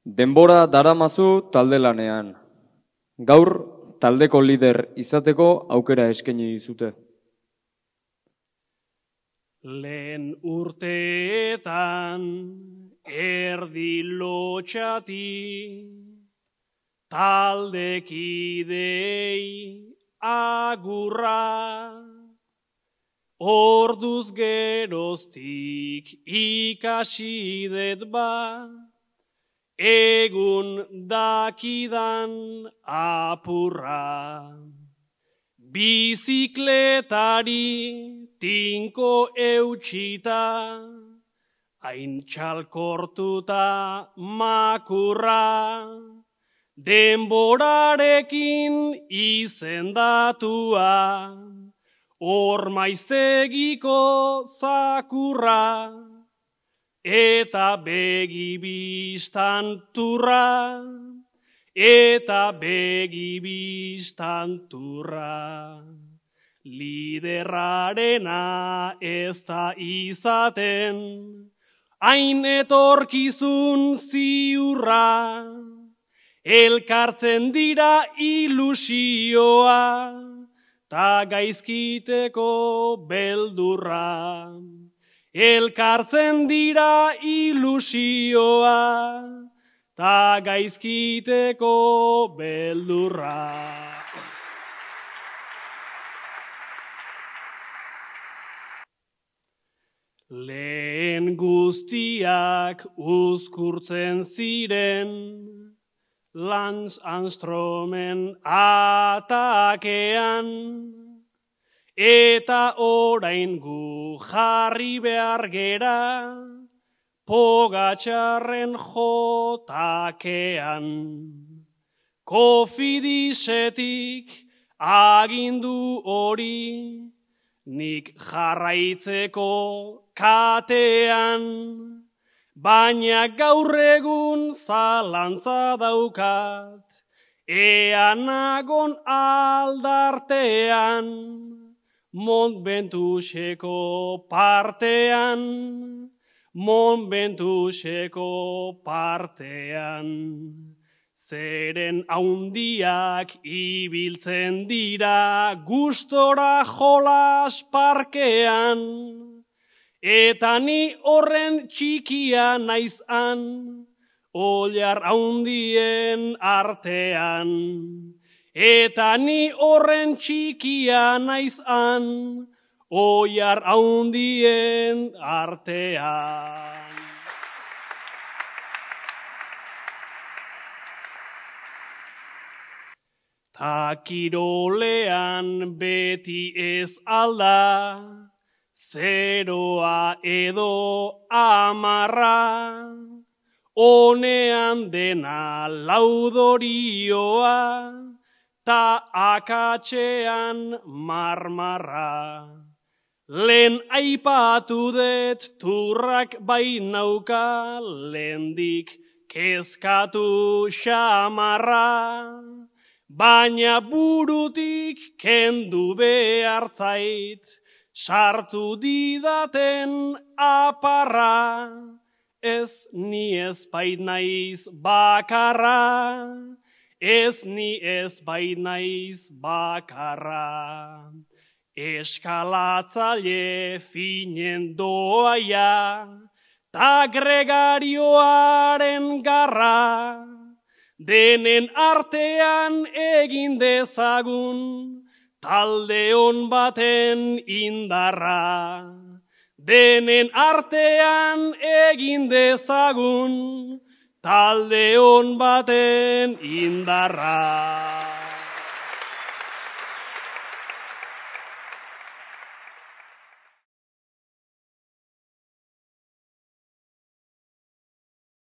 Denbora daramazu talde lanean. Gaur taldeko lider izateko aukera eskaini dizute. Lehen urteetan erdi lotxati taldekidei agurra. Orduz geroztik ikasi dut egun dakidan apurra. Bizikletari tinko eutxita, hain txalkortuta makurra. Denborarekin izendatua, Ormaiztegiko zakurra, eta begibistan turra, Liderrarena ez da izaten, hain etorkizun ziurra, elkartzen dira ilusioa, ta gaizkiteko beldurra. Elkartzen dira ilusioa, ta gaizkiteko beldurra. Lehen guztiak uzkurtzen ziren, Lance Armstrongen atakean, eta orain gu jarri behar gera, Pogačarren jotakean. Kofidisetik agindu hori, nik jarraitzeko katean, baina gaur egun zalantza daukat, ea nagon aldartean, Montventuseko partean. Zeren haundiak ibiltzen dira gustora jolas parkean, eta ni horren txikia naizan, Ollar haundien artean. Eta ni horren txikia naizan, Ollar haundien artean. Ta kirolean beti ez alda, zeroa edo 10, Honean dena laudorioa, ta akatxean marmarra. Lehen aipatu dut turrak bainauka, lehendik kezkatu xamarra. Baina burutik kendu behartzait, sartu didaten aparra. Ez ni ez bait naiz bakarra, ez ni ez bait naiz bakarra. Eskalatzaile finen doaia, ta gregarioaren garra, denen artean egin dezagun, talde on baten indarra. Denen artean egin dezagun, talde on baten indarra.